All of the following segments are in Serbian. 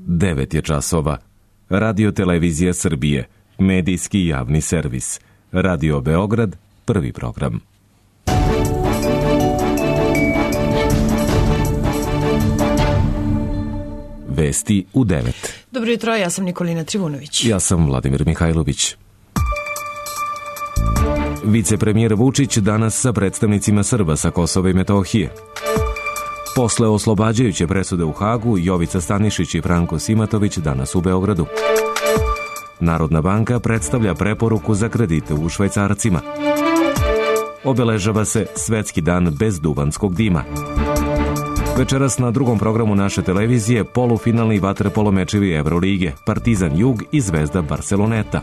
9 je časova. Radio Televizija Srbije, medijski javni servis. Radio Beograd, prvi program. Vesti u 9. Dobro jutro, ja sam Nikolina Trivunović. Ja sam Vladimir Mihajlović. Vicepremijer Vučić danas sa predstavnicima Srba sa Kosova i Metohije. Posle oslobađajuće presude u Hagu, Jovica Stanišić i Franko Simatović danas u Beogradu. Narodna banka predstavlja preporuku za kredite u švajcarcima. Obeležava se Svetski dan bez duvanskog dima. Večeras na drugom programu naše televizije polufinalni vaterpolo mečevi Evrolige, Partizan Jug i Zvezda Barceloneta.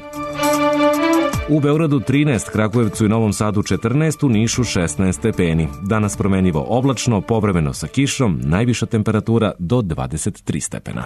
U Beogradu 13, Kragujevcu i Novom Sadu 14, u Nišu 16 stepeni. Danas promenljivo oblačno, povremeno sa kišom, najviša temperatura do 23 stepena.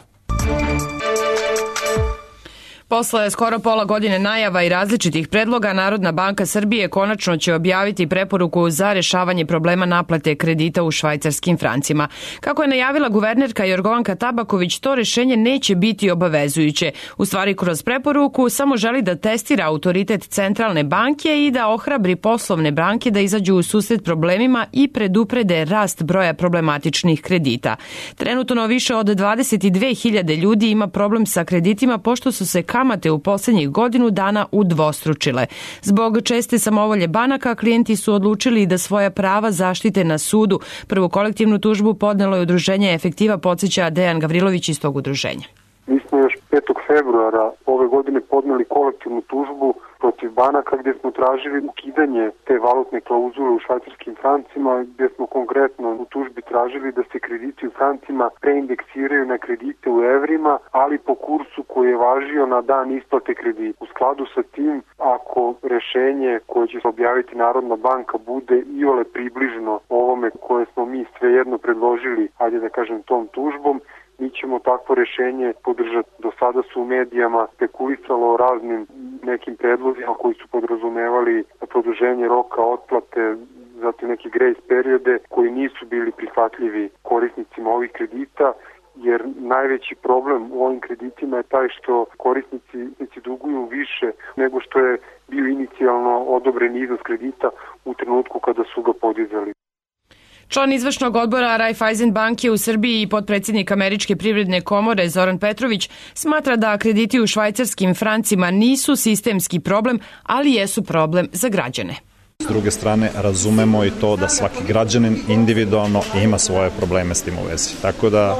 Posle skoro pola godine najava i različitih predloga, Narodna banka Srbije konačno će objaviti preporuku za rešavanje problema naplate kredita u švajcarskim francima. Kako je najavila guvernerka Jorgovanka Tabaković, to rešenje neće biti obavezujuće. U stvari, kroz preporuku samo želi da testira autoritet centralne banke i da ohrabri poslovne banke da izađu u susret problemima i preduprede rast broja problematičnih kredita. Trenutno više od 22.000 ljudi ima problem sa kreditima pošto su se kamate u poslednjih godinu dana udvostručile. Zbog česte samovolje banaka, klijenti su odlučili da svoja prava zaštite na sudu. Prvu kolektivnu tužbu podnelo je udruženje Efektiva, podsjeća Dejan Gavrilović iz tog udruženja. Mi smo još 5. februara ove godine podneli kolektivnu tužbu protiv banaka gdje smo tražili ukidanje te valutne klauzule u švajcarskim francima, gdje smo konkretno u tužbi tražili da se krediti u francima preindeksiraju na kredite u evrima, ali po kursu koji je važio na dan isplate kredita. U skladu sa tim, ako rešenje koje će se objaviti Narodna banka bude iole približno ovome koje smo mi svejedno predložili, ajde da kažem tom tužbom, mi ćemo takvo rešenje podržati. Do sada su u medijama spekulisalo o raznim nekim predlozima koji su podrazumevali produženje roka otplate, zatim neke grace periode koji nisu bili prihvatljivi korisnicima ovih kredita, jer najveći problem u ovim kreditima je taj što korisnici duguju više nego što je bio inicijalno odobren iznos kredita u trenutku kada su ga podizali. Član izvršnog odbora Raiffeisen banke u Srbiji i potpredsjednik Američke privredne komore Zoran Petrović smatra da krediti u švajcarskim francima nisu sistemski problem, ali jesu problem za građane. S druge strane, razumemo i to da svaki građanin individualno ima svoje probleme s tim u vezi. Tako da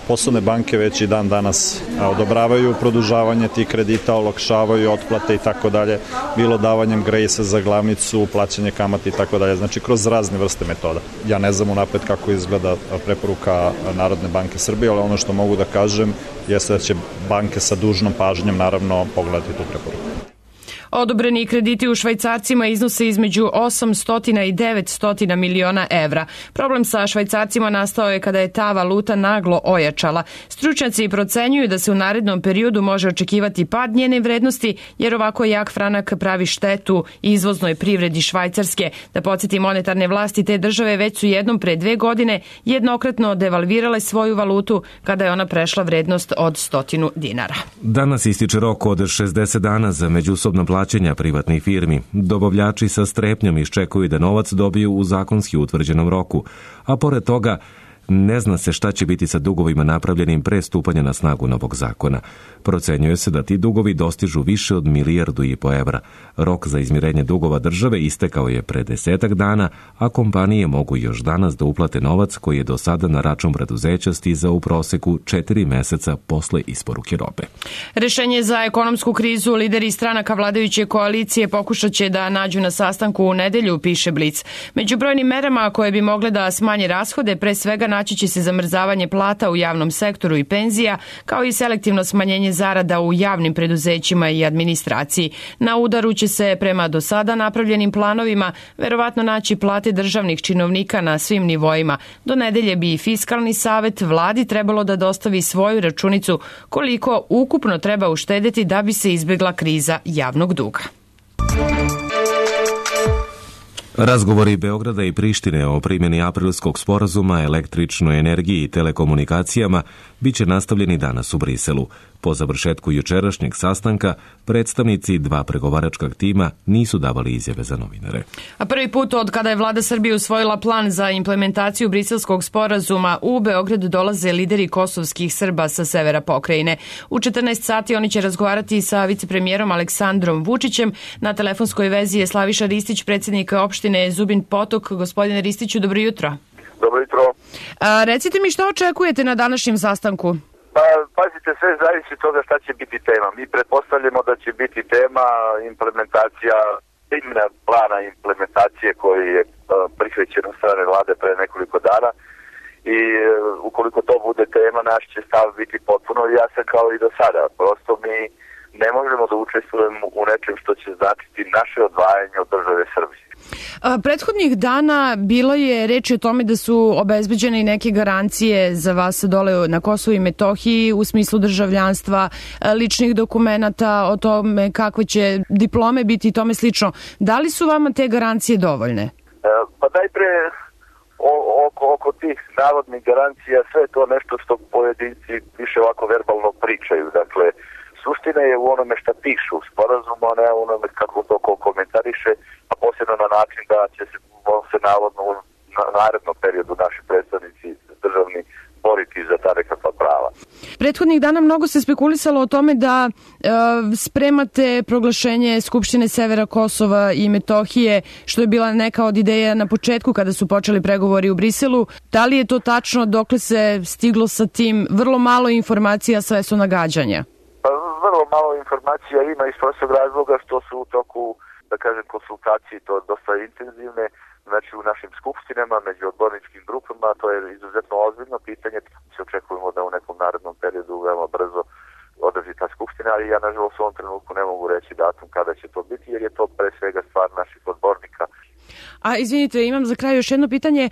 poslovne banke već i dan danas odobravaju produžavanje tih kredita, olakšavaju otplate i tako dalje, bilo davanjem grejsa za glavnicu, plaćanje kamata i tako dalje, znači kroz razne vrste metoda. Ja ne znam unapred kako izgleda preporuka Narodne banke Srbije, ali ono što mogu da kažem jeste da će banke sa dužnom pažnjom naravno pogledati tu preporuku. Odobreni krediti u švajcarcima iznose između 800 i 900 miliona evra. Problem sa švajcarcima nastao je kada je ta valuta naglo ojačala. Stručnjaci procenjuju da se u narednom periodu može očekivati pad njene vrednosti, jer ovako jak franak pravi štetu izvoznoj privredi Švajcarske. Da podsjeti, monetarne vlasti te države već su jednom pre 2 godine jednokratno devalvirale svoju valutu kada je ona prešla vrednost od 100 dinara. Danas ističe rok od 60 dana za međusobno plaćanja privatnih firmi. Dobavljači sa strepnjom iščekuju da novac dobiju u zakonski utvrđenom roku, a pored toga ne zna se šta će biti sa dugovima napravljenim pre stupanja na snagu novog zakona. Procenjuje se da ti dugovi dostižu više od 1,5 milijardu evra. Rok za izmirenje dugova države istekao je pre 10 dana, a kompanije mogu još danas da uplate novac koji je do sada na račun preduzeća stizao u proseku 4 meseca posle isporuke robe. Rešenje za ekonomsku krizu lideri stranaka vladajuće koalicije pokušat će da nađu na sastanku u nedelju, piše Blic. Među brojnim merama koje bi mogle da smanje rashode, pre svega naći će se zamrzavanje plata u javnom sektoru i penzija, kao i selektivno smanjenje zarada u javnim preduzećima i administraciji. Na udaru će se prema do sada napravljenim planovima verovatno naći plate državnih činovnika na svim nivoima. Do nedelje bi i Fiskalni savet vladi trebalo da dostavi svoju računicu koliko ukupno treba uštedeti da bi se izbjegla kriza javnog duga. Razgovori Beograda i Prištine o primjeni aprilskog sporazuma, električnoj energiji i telekomunikacijama biće nastavljeni danas u Briselu. Po završetku jučerašnjeg sastanka, predstavnici dva pregovaračkog tima nisu davali izjave za novinare. A prvi put od kada je vlada Srbije usvojila plan za implementaciju briselskog sporazuma, u Beograd dolaze lideri kosovskih Srba sa severa pokrajine. U 14 sati oni će razgovarati sa vicepremijerom Aleksandrom Vučićem. Na telefonskoj vezi je Slaviša Ristić, predsjednik opštine Zubin Potok. Gospodine Ristiću, dobro jutro. Dobro jutro. Recite mi što očekujete na današnjem sastanku? Pa, pazite, sve zavisi od toga šta će biti tema. Mi pretpostavljamo da će biti tema implementacija, primjena plana implementacije koji je prihvaćen od strane vlade pre nekoliko dana i ukoliko to bude tema, naš će stav biti potpuno jasan kao i do sada. Prosto mi ne možemo da učestvujemo u nečem što će značiti naše odvajanje od države Srbije. Prethodnih dana bilo je reči o tome da su obezbeđene i neke garancije za vas dole na Kosovu i Metohiji u smislu državljanstva, ličnih dokumenata, o tome kakve će diplome biti i tome slično. Da li su vama te garancije dovoljne? Pa najpre oko tih navodnih garancija sve to nešto što pojedinci više ovako verbalno pričaju. Dakle, suština je u onome šta pišu u sporazumu, a ne u onome kako to komentariše, a posebno na način da će se navodno u narednom periodu naši predstavnici državni boriti za ta nekakva prava. Prethodnih dana mnogo se spekulisalo o tome da spremate proglašenje Skupštine Severa Kosova i Metohije, što je bila neka od ideja na početku kada su počeli pregovori u Briselu. Da li je to tačno, dokle se stiglo sa tim? Vrlo malo informacija, sve su nagađanja. Vrlo malo informacija ima iz prostog razloga što su u toku, da kažem, konsultacije to dosta intenzivne, znači u našim skupštinama, među odborničkim grupama, to je izuzetno ozbiljno pitanje. Se očekujemo da u nekom narednom periodu veoma brzo održi ta skupština, ali ja nažalost u ovom trenutku ne mogu reći datum kada će to biti, jer je to pre svega stvar naših odbornika. A izvinite, imam za kraj još jedno pitanje.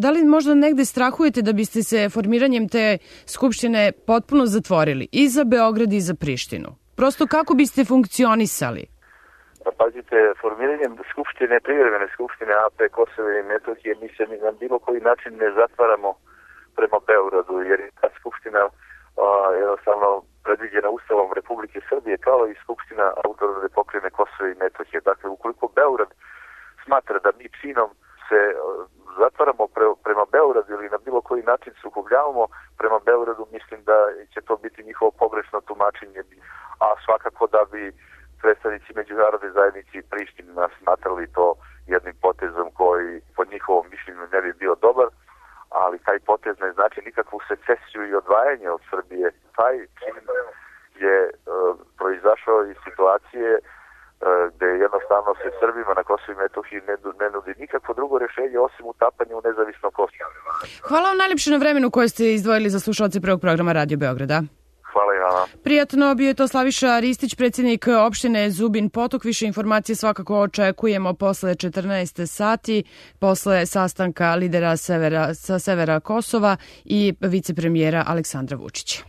Da li možda negde strahujete da biste se formiranjem te skupštine potpuno zatvorili i za Beograd i za Prištinu? Prosto kako biste funkcionisali? Pa pazite, formiranjem skupštine, privremene skupštine AP Kosova i Metohije, mi se na bilo koji način ne zatvaramo prema Beogradu, jer je ta skupština jednostavno predviđena Ustavom Republike Srbije, kao i Skupština autonomne pokrajine Kosova i Metohije. Dakle, ukoliko Beograd smatra da mi činom se zatvaramo prema Beogradu ili na bilo koji način sukobljavamo prema Beogradu, mislim da će to biti njihovo pogrešno tumačenje, a svakako da bi predstavnici međunarodne zajednice i Priština smatrali to jednim potezom koji po njihovom mišljenju ne bi bio dobar, ali taj potez ne znači nikakvu secesiju i odvajanje od Srbije. Taj čin je proizašao iz situacije gde jednostavno se Srbima na Kosovu i Metohiji ne nudi nikakvo drugo rješenje osim utapanje u nezavisno Kosovo. Hvala vam najljepše na vremenu koje ste izdvojili za slušalce prvog programa Radio Beograda. Hvala i vama. Prijatno, bio je to Slaviša Ristić, predsjednik opštine Zubin Potok. Više informacije svakako očekujemo posle 14 sati, posle sastanka lidera sa severa Kosova i vicepremijera Aleksandra Vučića.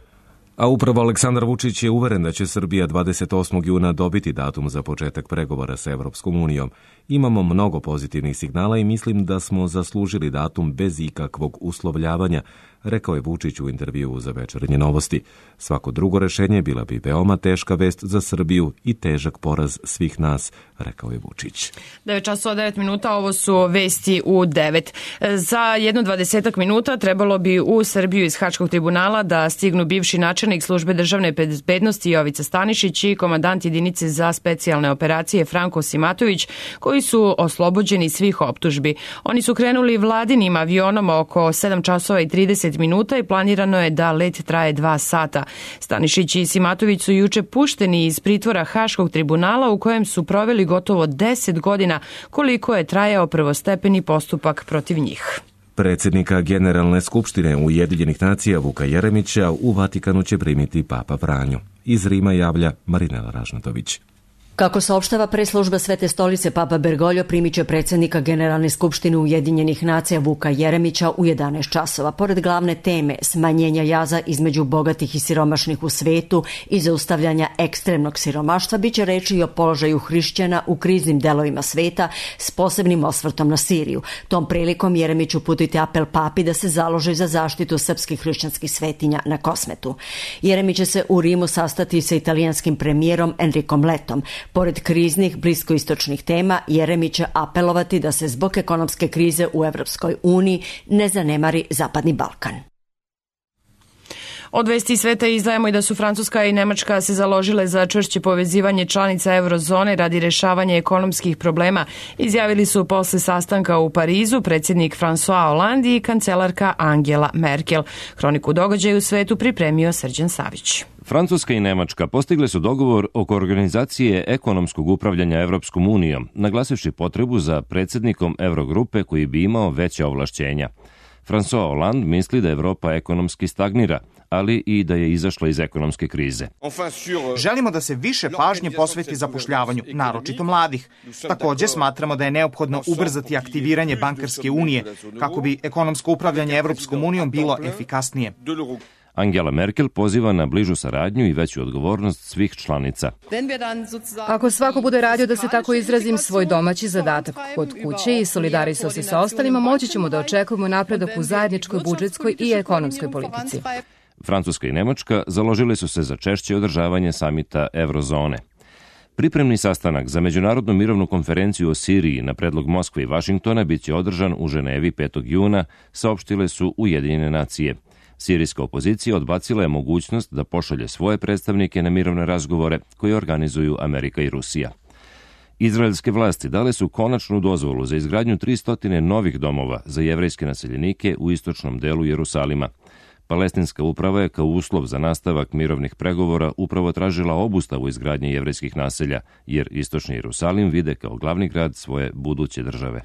A upravo Aleksandar Vučić je uveren da će Srbija 28. juna dobiti datum za početak pregovora sa Evropskom unijom. Imamo mnogo pozitivnih signala i mislim da smo zaslužili datum bez ikakvog uslovljavanja, rekao je Vučić u intervjuu za Večernje novosti. Svako drugo rešenje bila bi veoma teška vest za Srbiju i težak poraz svih nas, rekao je Vučić. 9:09, ovo su vesti u 9. Za 20 minuta trebalo bi u Srbiju iz Haškog tribunala da stignu bivši načelnik službe državne bezbednosti Jovica Stanišić i komandant jedinice za specijalne operacije Franko Simatović, koji su oslobođeni svih optužbi. Oni su krenuli vladinim avionom oko 7:30 minuta i planirano je da let traje 2 sata. Stanišić i Simatović su juče pušteni iz pritvora Haškog tribunala u kojem su proveli gotovo 10 godina, koliko je trajao prvostepeni postupak protiv njih. Predsjednika Generalne skupštine Ujedinjenih nacija Vuka Jeremića u Vatikanu će primiti Papa Franjo. Iz Rima javlja Marinela Ražnatović. Kako saopštava preslužba Svete stolice, Papa Bergoglio primit će predsjednika Generalne skupštine Ujedinjenih nacija Vuka Jeremića u 11 časova. Pored glavne teme smanjenja jaza između bogatih i siromašnih u svetu i zaustavljanja ekstremnog siromaštva, biće reči i o položaju hrišćana u kriznim delovima sveta s posebnim osvrtom na Siriju. Tom prilikom Jeremić uputiti apel papi da se založi za zaštitu srpskih hrišćanskih svetinja na Kosmetu. Jeremić će se u Rimu sastati sa italijanskim premijerom Enricom Lettom. Pored kriznih bliskoistočnih tema, Jeremić će apelovati da se zbog ekonomske krize u Evropskoj uniji ne zanemari Zapadni Balkan. Od vesti sveta izdajemo i da su Francuska i Nemačka se založile za čvršće povezivanje članica eurozone radi rešavanja ekonomskih problema, izjavili su posle sastanka u Parizu predsjednik François Hollande i kancelarka Angela Merkel. Hroniku događaja u svetu pripremio Srđan Savić. Francuska i Nemačka postigle su dogovor oko organizacije ekonomskog upravljanja Evropskom unijom, naglasivši potrebu za predsjednikom Eurogrupe koji bi imao veća ovlašćenja. François Hollande misli da Evropa ekonomski stagnira, ali i da je izašla iz ekonomske krize. Želimo da se više pažnje posveti zapošljavanju, naročito mladih. Također smatramo da je neophodno ubrzati aktiviranje bankarske unije kako bi ekonomsko upravljanje Evropskom unijom bilo efikasnije. Angela Merkel poziva na bližu saradnju i veću odgovornost svih članica. Ako svako bude radio, da se tako izrazim, svoj domaći zadatak kod kuće i solidarisao se sa ostalima, moći ćemo da očekujemo napredak u zajedničkoj budžetskoj i ekonomskoj politici. Francuska i Nemačka založile su se za češće održavanje samita Eurozone. Pripremni sastanak za Međunarodnu mirovnu konferenciju o Siriji na predlog Moskve i Vašingtona bit će održan u Ženevi 5. juna, saopštile su Ujedinjene nacije. Sirijska opozicija odbacila je mogućnost da pošalje svoje predstavnike na mirovne razgovore koje organizuju Amerika i Rusija. Izraelske vlasti dale su konačnu dozvolu za izgradnju 300 novih domova za jevrejske naseljenike u istočnom delu Jerusalima. Palestinska uprava je kao uslov za nastavak mirovnih pregovora upravo tražila obustavu izgradnje jevrejskih naselja, jer istočni Jerusalim vide kao glavni grad svoje buduće države.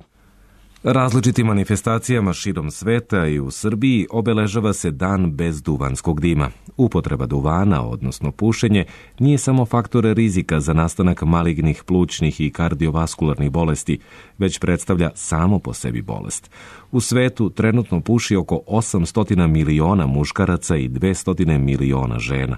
Različitim manifestacijama širom sveta i u Srbiji obeležava se dan bez duvanskog dima. Upotreba duvana, odnosno pušenje, nije samo faktor rizika za nastanak malignih plućnih i kardiovaskularnih bolesti, već predstavlja samo po sebi bolest. U svetu trenutno puši oko 800 miliona muškaraca i 200 miliona žena.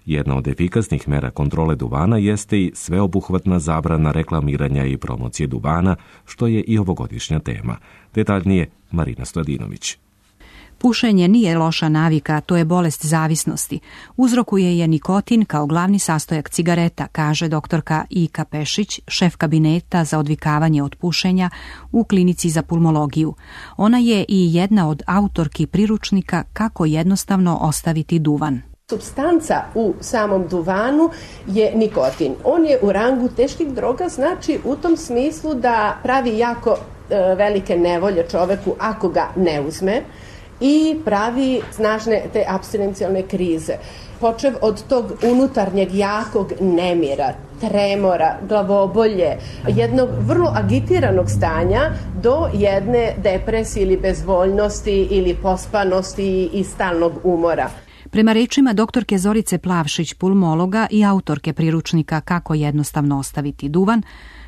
Jedna od efikasnih mera kontrole duvana jeste i sveobuhvatna zabrana reklamiranja i promocije duvana, što je i ovogodišnja tema. Detaljnije Marina Stojadinović. Pušenje nije loša navika, to je bolest zavisnosti. Uzrokuje je nikotin kao glavni sastojak cigareta, kaže doktorka Ika Pešić, šef kabineta za odvikavanje od pušenja u klinici za pulmologiju. Ona je i jedna od autorki priručnika kako jednostavno ostaviti duvan. Supstanca u samom duvanu je nikotin. On je u rangu teških droga, znači u tom smislu da pravi jako velike nevolje čoveku ako ga ne uzme i pravi snažne te apstinencijalne krize. Počev od tog unutarnjeg jakog nemira, tremora, glavobolje, jednog vrlo agitiranog stanja do jedne depresije ili bezvoljnosti ili pospanosti i stalnog umora. Prema rečima doktorke Zorice Plavšić, pulmologa i autorke priručnika Kako jednostavno ostaviti duvan,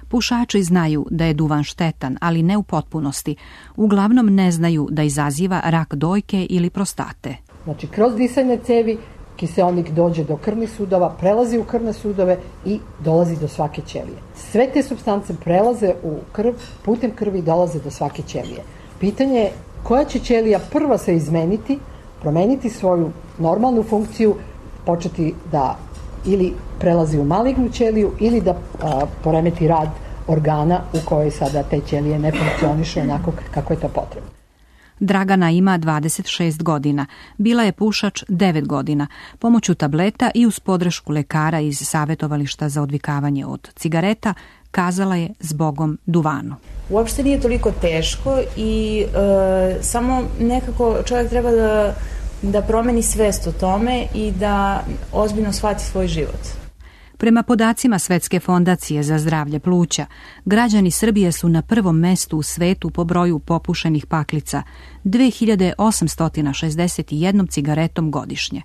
pušači znaju da je duvan štetan, ali ne u potpunosti. Uglavnom ne znaju da izaziva rak dojke ili prostate. Znači, kroz disajne cevi kiseonik dođe do krvnih sudova, prelazi u krvne sudove i dolazi do svake ćelije. Sve te supstance prelaze u krv, putem krvi dolaze do svake ćelije. Pitanje je koja će ćelija prva se izmeniti, promeniti svoju normalnu funkciju, početi da ili prelazi u malignu ćeliju ili da poremeti rad organa u kojoj sada te ćelije ne funkcionišu onako kako je to potrebno. Dragana ima 26 godina. Bila je pušač 9 godina. Pomoću tableta i uz podršku lekara iz savjetovališta za odvikavanje od cigareta kazala je zbogom duvanu. Uopšte nije toliko teško i samo nekako čovjek treba da promeni svest o tome i da ozbiljno shvati svoj život. Prema podacima Svetske fondacije za zdravlje pluća, građani Srbije su na prvom mestu u svetu po broju popušenih paklica, 2861 cigaretom godišnje.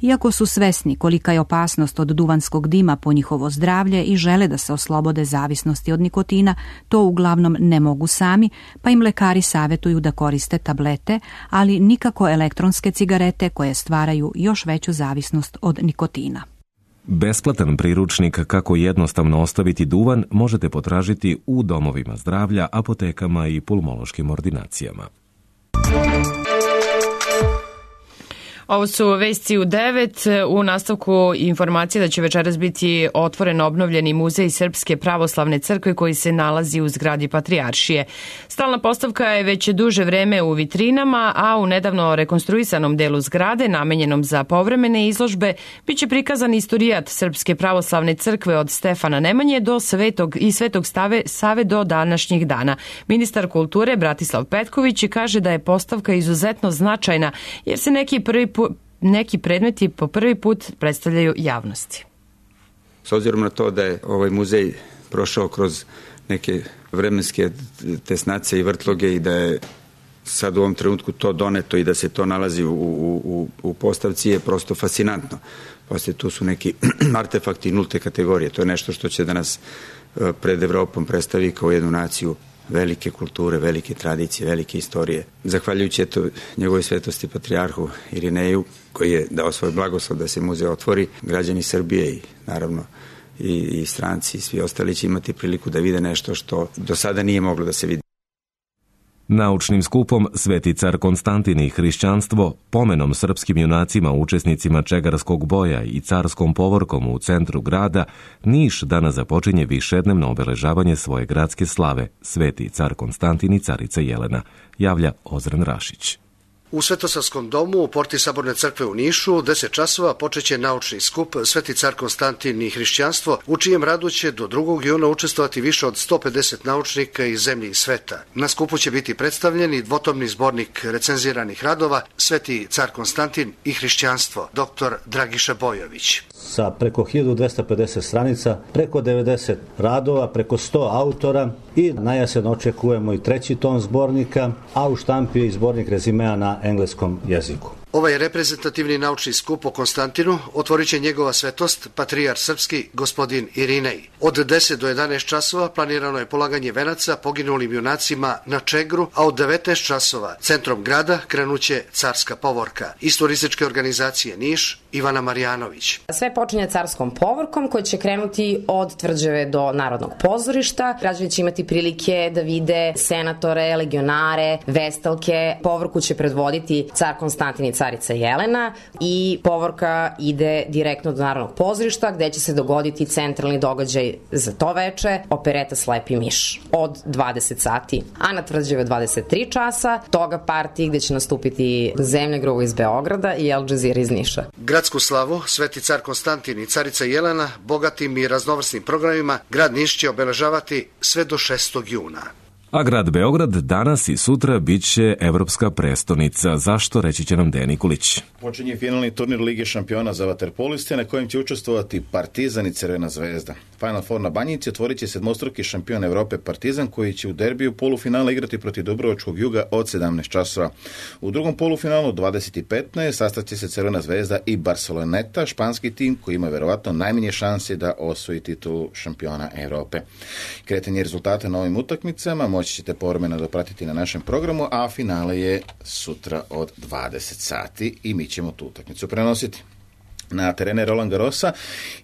Iako su svesni kolika je opasnost od duvanskog dima po njihovo zdravlje i žele da se oslobode zavisnosti od nikotina, to uglavnom ne mogu sami, pa im lekari savjetuju da koriste tablete, ali nikako elektronske cigarete koje stvaraju još veću zavisnost od nikotina. Besplatan priručnik kako jednostavno ostaviti duvan možete potražiti u domovima zdravlja, apotekama i pulmološkim ordinacijama. Ovo su vesti u 9. U nastavku informacije da će večeras biti otvoren obnovljeni muzej Srpske pravoslavne crkve koji se nalazi u zgradi Patrijaršije. Stalna postavka je već duže vreme u vitrinama, a u nedavno rekonstruisanom delu zgrade, namenjenom za povremene izložbe, biće prikazan istorijat Srpske pravoslavne crkve od Stefana Nemanje do Svetog Save do današnjih dana. Ministar kulture Bratislav Petković kaže da je postavka izuzetno značajna jer se neki predmeti po prvi put predstavljaju javnosti. S obzirom na to da je ovaj muzej prošao kroz neke vremenske tesnace i vrtloge i da je sad u ovom trenutku to doneto i da se to nalazi u postavci je prosto fascinantno. Poslije tu su neki artefakti nulte kategorije. To je nešto što će da nas pred Evropom predstavi kao jednu naciju velike kulture, velike tradicije, velike istorije. Zahvaljujući njegovoj svetosti patrijarhu Irineju, koji je dao svoj blagoslov da se muzej otvori, građani Srbije i naravno i stranci i svi ostali će imati priliku da vide nešto što do sada nije moglo da se vidi. Naučnim skupom Sveti car Konstantin i hrišćanstvo, pomenom srpskim junacima, učesnicima Čegarskog boja i carskom povorkom u centru grada, Niš danas započinje višednevno obeležavanje svoje gradske slave, Sveti car Konstantin i carica Jelena, javlja Ozren Rašić. U Svetosavskom domu u porti Saborne crkve u Nišu 10 časova počeće naučni skup Sveti car Konstantin i hrišćanstvo, u čijem radu će do 2. juna učestvovati više od 150 naučnika iz zemlje i sveta. Na skupu će biti predstavljeni dvotomni zbornik recenziranih radova Sveti car Konstantin i hrišćanstvo, dr. Dragiša Bojović. Sa preko 1250 stranica, preko 90 radova, preko 100 autora i najjesen očekujemo i 3. tom zbornika, a u štampi je i zbornik rezimea na engleskom jeziku. Ovaj reprezentativni naučni skup o Konstantinu otvorit će njegova svetost, patrijar srpski, gospodin Irinej. Od 10 do 11 časova planirano je polaganje venaca poginulim junacima na Čegru, a od 19 časova centrom grada krenuće carska povorka. Iz turističke organizacije Niš, Ivana Marjanović. Sve počinje carskom povorkom koji će krenuti od Tvrđave do Narodnog pozorišta. Građani će imati prilike da vide senatore, legionare, vestalke. Povorku će predvoditi car Konstantin i carica Jelena i povorka ide direktno do Narodnog pozorišta gde će se dogoditi centralni događaj za to veče, opereta Slepi miš od 20 sati, a na Tvrđave 23 časa, toga partiji gde će nastupiti Zemlja Gruvo iz Beograda i Al Jazeera iz Niša. Gradsku slavu Sveti car Konstantin i carica Jelena bogatim i raznovrsnim programima grad Niš će obeležavati sve do 6. juna. A grad Beograd danas i sutra bit će evropska prestonica. Zašto, reći će nam Dejan Nikolić. Počinje finalni turnir Lige šampiona za vaterpoliste na kojem će učestvovati Partizan i Crvena zvezda. Final Four na Banjici otvorit će sedmostruki šampion Evrope Partizan koji će u derbiju polufinala igrati protiv Dubrovačkog Juga od 17 časova. U drugom polufinalu 20:15 sastaće se Crvena zvezda i Barceloneta, španski tim koji ima verovatno najmanje šanse da osvoji titulu šampiona Evrope. Kretanje rezultata na ovim utakmicama moći ćete povremeno dopratiti na našem programu, a finale je sutra od 20 sati i mi ćemo tu utakmicu prenositi. Na terene Roland Garrosa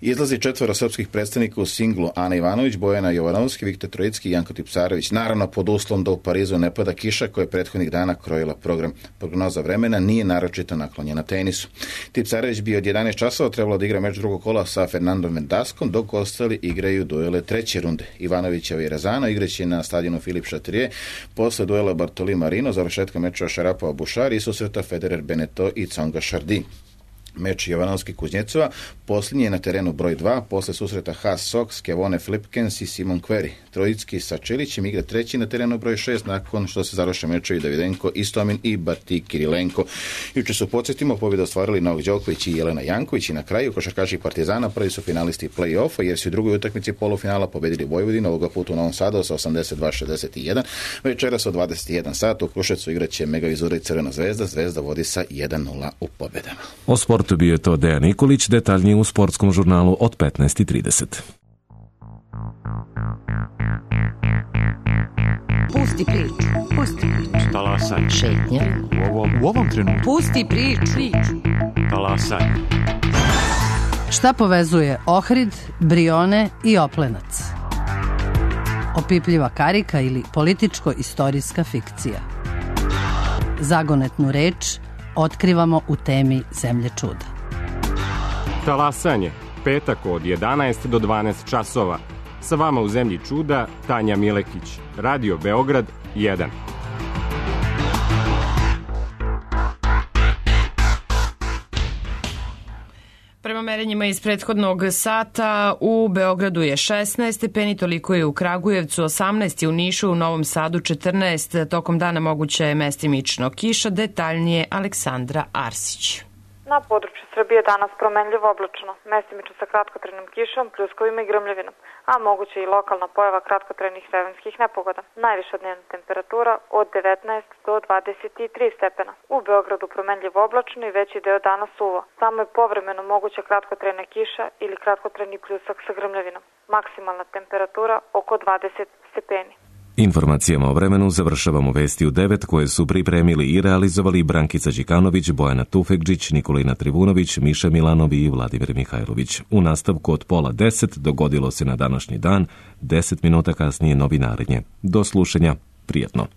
izlazi 4 srpskih predstavnika u singlu: Ana Ivanović, Bojana Jovanovski, Viktor Trojicki i Janko Tipsarević. Naravno pod uslovom da u Parizu ne pada kiša koja je prethodnih dana krojila program. Prognoza vremena nije naročito naklonjena tenisu. Tipsarević bi od 11 časova trebalo da igra meč drugog kola sa Fernandom Vendaskom, dok ostali igraju duele treće runde. Ivanovićeva i Razano igraće na stadionu Filip Chatrier posle duela Bartoli Marino, završetka meča Šarapova Bušari i susreta Federer Beneteau i Tsonga Chardy. meč Jovanovski Kuznjecova. Posljednji je na terenu broj 2, posle susreta Haas Sox, Kevone Flipkens i Simon Query. Trojicki sa Čelićem igra treći na terenu broj 6, nakon što se završe mečevi Davidenko, Istomin i Bati Kirilenko. Juče su, podsjetimo, pobjedu ostvarili Novak Đoković i Jelena Janković i na kraju košarkaši Partizana prvi su finalisti play-offa jer su u drugoj utakmici polufinala pobedili Vojvodinu, ovoga puta u Novom Sadu sa 82-61. Večeras od 21 sat u Kruševcu igraće Mega Vizura i Crvena Zvezda. Zvezda vodi sa 1-0 u pobedama. O sportu bio je to Dejan Nikolić, detaljnije u sportskom žurnalu od 15:30. Pusti priču. Pusti priču. Talasaj. Šetnja. U ovom trenutku. Pusti priču. Talasaj. Šta povezuje Ohrid, Brione i Oplenac? Opipljiva karika ili političko-istorijska fikcija? Zagonetnu reč otkrivamo u temi Zemlje čuda. Talasanje, petak od 11 do 12 časova. Sa vama u Zemlji čuda, Tanja Milekić. Radio Beograd 1. Prema merenjima iz prethodnog sata u Beogradu je 16 stepeni, toliko je u Kragujevcu, 18 je u Nišu, u Novom Sadu 14, tokom dana moguće je mestimično kiša, detaljnije Aleksandra Arsić. Na području Srbije danas promenljivo oblačno, mestimično sa kratkotrajnom kišom, pljuskovima i grmljavinom, a moguće i lokalna pojava kratkotrajnih vremenskih nepogoda. Najviša dnevna temperatura od 19 do 23 stepena. U Beogradu promenljivo oblačno i veći deo dana suvo. Samo je povremeno moguća kratkotrajna kiša ili kratkotrajni pljusak sa grmljavinom. Maksimalna temperatura oko 20 stepeni. Informacijama o vremenu završavamo vesti u 9 koje su pripremili i realizovali Brankica Đikanović, Bojana Tufekđić, Nikolina Trivunović, Miša Milanovi i Vladimir Mihajlović. U nastavku od 9:30 dogodilo se na današnji dan, 10 minuta kasnije novinarenje. Do slušanja, prijetno.